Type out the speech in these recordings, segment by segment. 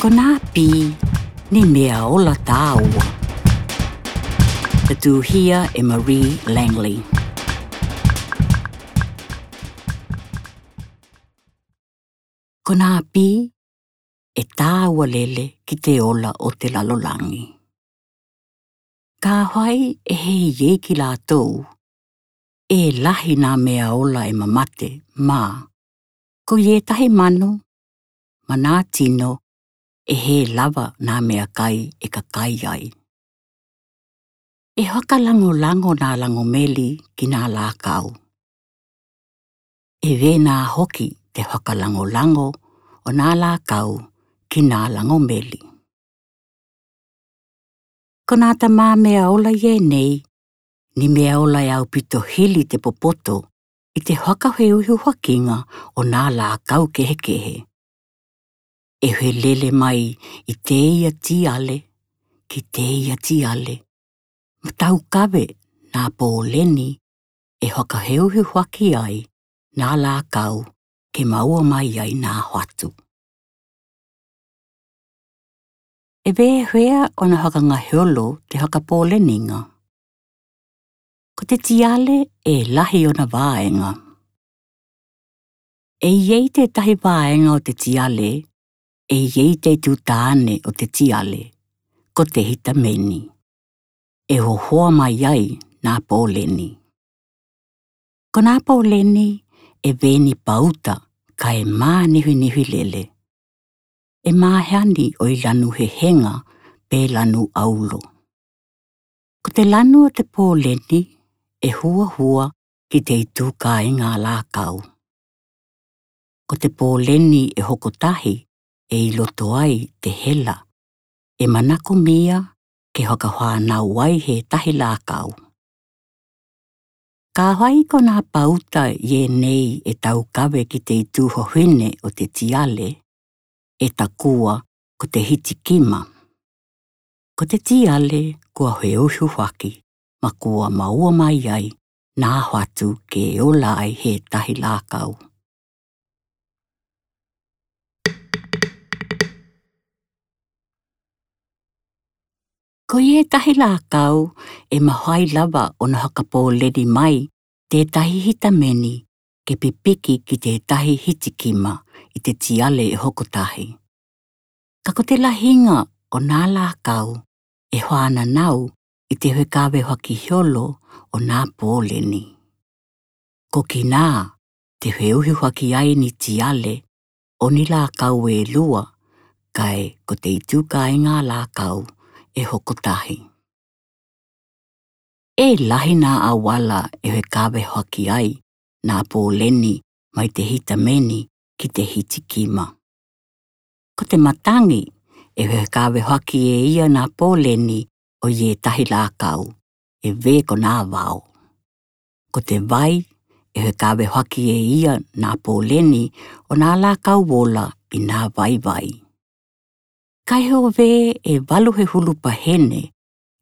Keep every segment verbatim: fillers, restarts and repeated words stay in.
Ko nā pī ni mea ola tāua. Tatuhia e Marie Langley. Ko nā pī e tāua lele ki te ola o te lalolagi. Kāhai e hei ei ki lātou, e lahi nā mea ola e mamate, mā ko ē tahi manu ma nā tino e hē lava nā meakai e kakai ai. E hakalagolago nā lagomeli ki nā lākau. E vē nā hoki te hakalagolago o nā lākau ki nā lagomeli. Ko nā tamā mea ola ē nei ni mea ola e aupito hili te popoto i te hakaheuhiuhakiga o nā lākau kehekehe. E helele mai i te ia tiale ki te ia tiale ma taukave nā poleni e hakaheuhiuhaki ai nā lākau ke maua mai ai nā hoatu. E vē hea ona hakagaheolo te hakapoleniga? Ko te tiale e lahi ona vaega. E i ei te tahi vaega o te tiale, e i ei te tū tāne o te tiale, ko te hitameni. E hohoa mai ai nā poleni. Ko nā poleni e vē ni pauta ka e mānihinihi lele. E māhani ʻo i lanu hehega pe lanu ʻaulo. Ko te lanu o te poleni e huahua ki te itū kāiga lākau. Ko te poleni e hoko tahi e i loto ai te hela e manakomia ke hakafānau ai he tahi lākau. Kāhai ko nā pauta ē nei e taukave ki te itū hohine o te tiale, e takua ko te hitikima. Ko te tiale kua heuhiuhaki ma kua maua mai ai nā hoatu ke ola ai he tahi lākau. Ko ē tahi lākau e mafai lava ona hakapoleni mai te tahi hitameni ke pipiki ki te tahi hitikima i te tiale e hoko tahi. Ka ko te lahiga o nā lākau e fānanau i te fekāvehaki holo o nā poleni. Ko kinā te feuhiuhaki ai ni tiale o ni lākau e lua, kae ko te itū kāiga lākau e hoko tahi. E lahi nā auala e fekāvehaki ai nā poleni mai te hitameni ki te hitikima. Ko te matagi e fekāvehaki e ia nā poleni o ē tahi lākau, e vē ko nā vao. Ko te vai e fekāvehaki e ia nā poleni o nā lākau ola i nā vaivai. Kae ʻo vē e valu he hulu pahene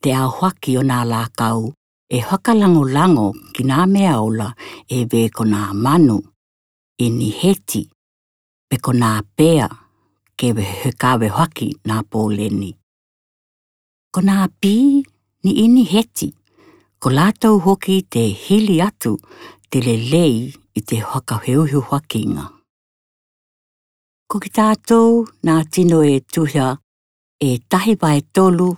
te aohaki o nā lākau e fakalagolago ki nā mea ola e vē ko nā manu, ʻiniheti, pe ko nā pea ke fekāvehaki nā poleni. Ko nā pī ni ʻiniheti, ko lātou hoki te hili atu te lelei i te fakafeuhiuhakiga. Ko kitātou nā tino e tuha e tahi vaetolu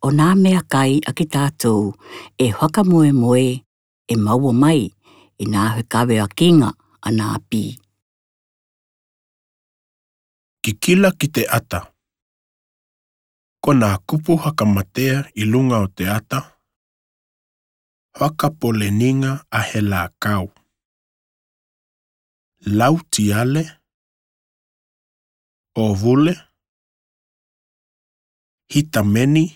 o nā meakai a kitātou e fakamoemoe e maua mai i nā fekāveakiga a nā pī. Kikila ki te ʻata. Ko nā kupu fakamatea i luga o te ʻata. Fakapoleniga a he lākau. Lautiale, ʻōvule, hitameni,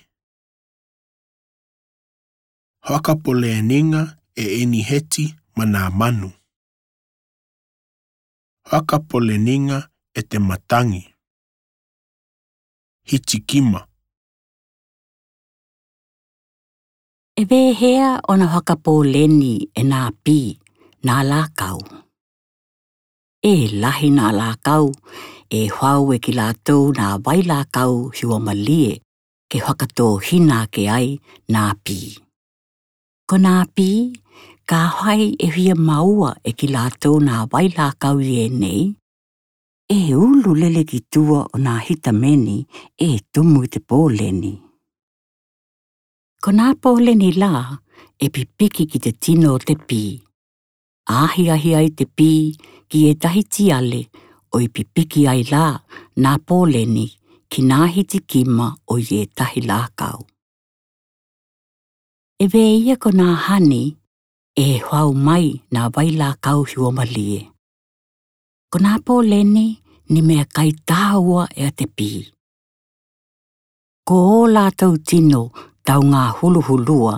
fakapoleniga e ʻiniheti ma nā manu. Fakapoleniga e te matagi. Hitikima. E vē hea ona fakapoleni e nā pī nā lākau? E lahi nā lākau, e hau e ki lātou nā vailākau hiuamalie, ke fakatōhina ake ai nā pī. Ko nā pī, ka hai e fia maua e ki lātou nā vailākau i ē nei, e ulu lele ki tua o nā hitameni e tumu i te pōleni. Ko nā pōleni lā, e pipiki ki te tino o te pī. Ahiahi ai te pī ki ē tahi tiale, ʻo i pipiki ai lā nā pōleni ki nā hitikima o ē tahi lākau. E vē ia ko nā hani, e hau mai nā vailākau hiuamalie. Ko nā pōleni ni meakai tāua ʻe a te pī. Ko ō lātou tino taungā huluhulua,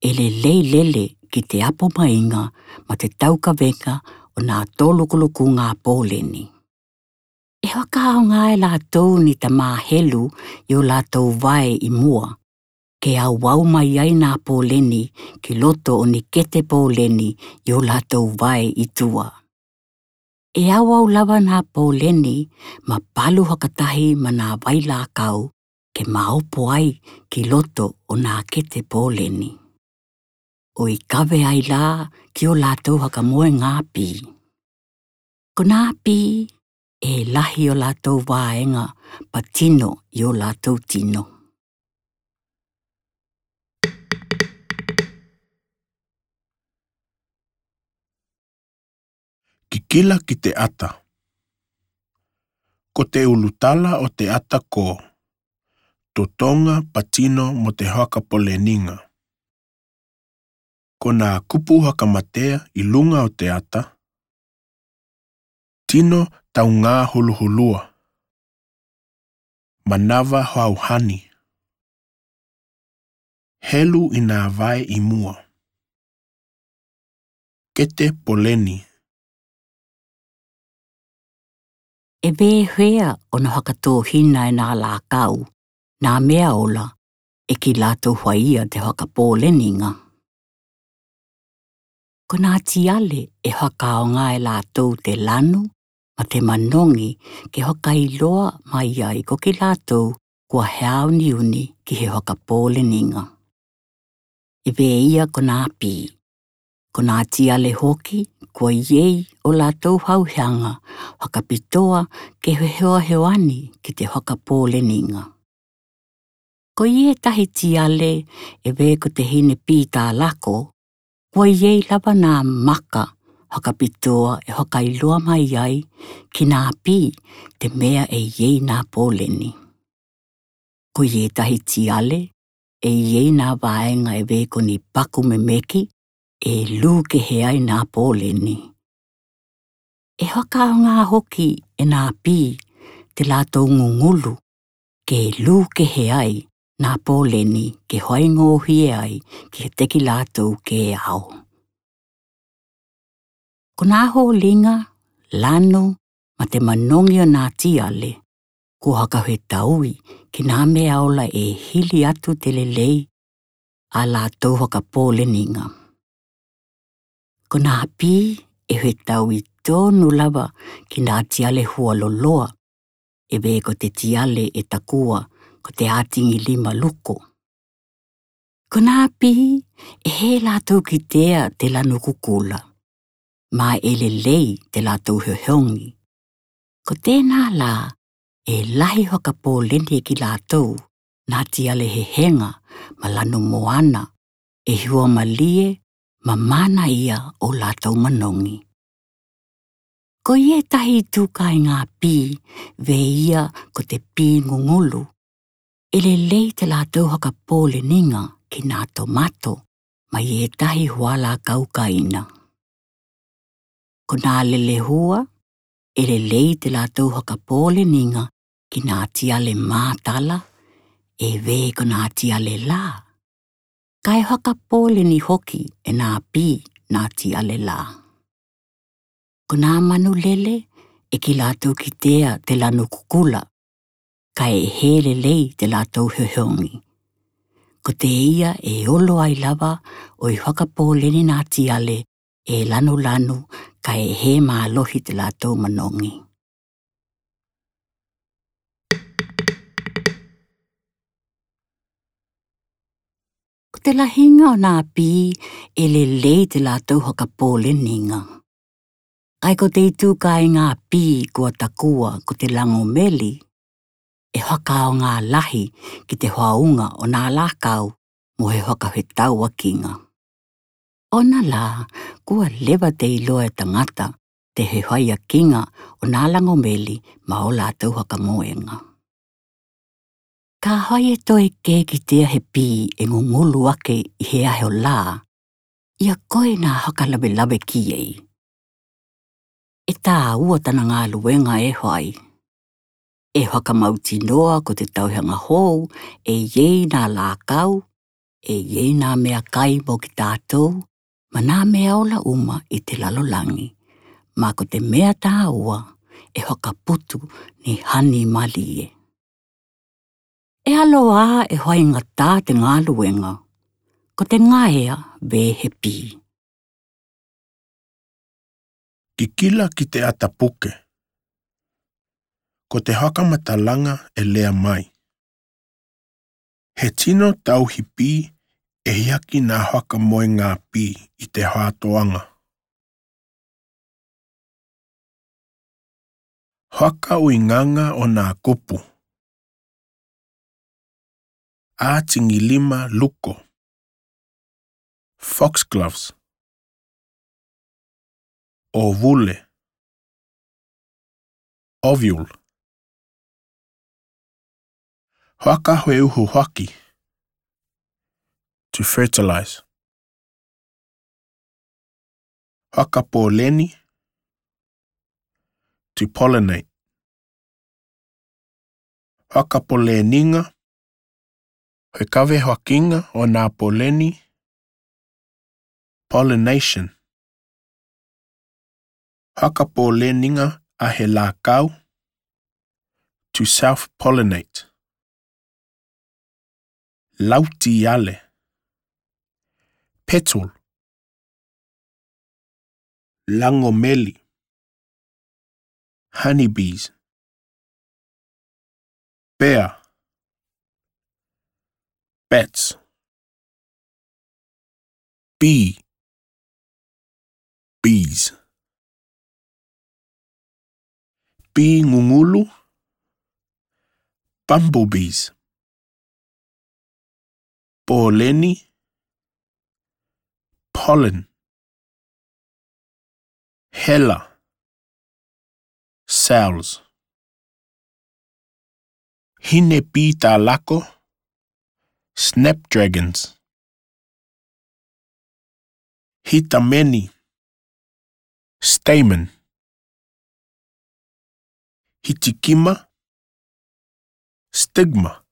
e lelei lele ki te apo mainga ma te taukavenga o nā tolukuluku ngā pōleni. E fakaaoga e lātou ni tamā helu i ō lātou vae i mua, ke auau mai ai nā pōleni ki loto o ni kete pōleni i ō lātou vae i tua. E auau lava nā pōleni ma palu fakatahi ma nā vailākau ke maopo ai ki loto o nā kete pōleni. ʻO i kave ai lā ki ō lātou fakamoe ngā pī. Ko nā pī, e lahi ō lātou vaenga patino i ō lātou tino. Kikila ki te ata. Ko te ulutala o te ata ko totonga, patino mo te fakapōleninga. Ko nā kupu fakamatea i luga o te ata: tino taungā huluhulua, manava hauhani, helu i nā vae i mua, kete pōleni. E vē hea ʻona fakatōhina e nā lākau nā mea ola, e ki lātou faia te fakapōleninga. Ko nā tiale e fakaaoga e lātou te lanu ma te manogi ke fakailoa mai ai ko ki lātou kua heauniuni ki he fakapōleninga. E vē ia ko nā pī. Ko nā tiale hoki, kua ʻi ai ō lātou fauheaga fakapitoa ke fehoahoani ki te fakapōleninga. Ko ē tahi tiale, e vē ko te hine pī tālako, kua ʻi ai lava nā maka fakapitoa e fakailoa mai ai ki nā pī te mea e ʻi ai nā pōleni. Ko ē tahi tiale, e ʻi ai nā vaega e vē ko ni paku memeki, e lū kehe ai nā pōleni. E fakaaoga hoki e nā pī te lātou gugulu, ke lū kehe ai nā pōleni ke hoaigōhie ai kiate ki lātou ke ao. Ko nā holiga, lanu ma te manogi o nā tiale, kua fakafetaui ki nā mea ola e hili atu te lelei a lātou fakapōleninga. Ko nā pī e fetaui tonu lava ki nā tiale hualoloa, e vē ko te tiale e takua ko te ʻātigi lima luko. Ko nā pī e hē lātou kitea te lanu kukula, ma e lelei te lātou fehogi. Ko tenā lā, e lahi fakapōleni ki lātou nā tiale hehega ma lanu moana, e hiuamalie ma mana ia ʻo lātou manogi. Ko ē tahi tū kāiga pī, vē ia ko te pī gugulu, e lelei te lātou fakapōleninga ki nā tomato ma ē tahi hualākau kaina. Ko nā lelehua, e lelei te lātou fakapōleninga ki nā tiale mātala, e vē ko nā tiale lā. Kae fakapōleni hoki e nā pī nā tiale lā. Ko nā manu lele, e ki lātou kitea te lanu kukula, kae hē lelei te lātou fehogi. Ko teia e olo ai lava ʻo e fakapōleni nā tiale e lanulanu, kae hē mālohi te lātou manogi. Ko te lahiga o nā pī e lelei te lātou hakapōleniga. Kae ko te itū kāiga pī kua takua ko te lagomeli, e hakaaoga lahi ki te hoauga o nā lākau mo he hakafetauakiga. Ona lā, kua leva te iloa e tagata te he faiakiga o nā lagomeli ma o lātou hakamoega. Ka fai e toe kē kitea he pī e gugulu ake i he ahe o lā, ia koe nā fakalavelave ki ai. E tāua tana galuega e fai. E fakamautinoa ko te tauhaga hou e iai nā lākau, e iai nā meakai mo ki tātou, ma nā meaola uma i te lalolagi, ma ko te mea tāua e fakaputu ni hani malie. E alo ā e faigata te galuega, ko te gaea vē he pī. Kikila ki te ata puke. Ko te fakamatalaga e lea mai. He tino tauhi pī e iaki nā fakamoega pī i te fātoaga. Fakauigaga o nā kupu. Atigilima luko. Foxgloves. Ovule. Ovule. Fakafeuhufaki. To fertilize. Fakapōleni. To pollinate. Fakapōleniga. Fekavefakiga o nā pōleni. Pollination. Fakapōleniga a he lākau. To self-pollinate. Lautiale. Petal. Lagomeli. Honeybees. Pea. Bats. Bee. Bees. Pī gugulu. Bumblebees. Pōleni. Pollen. Hela. Cells. Hine pī talako. Snapdragons. Hitameni. Stamen. Hitikima. Stigma.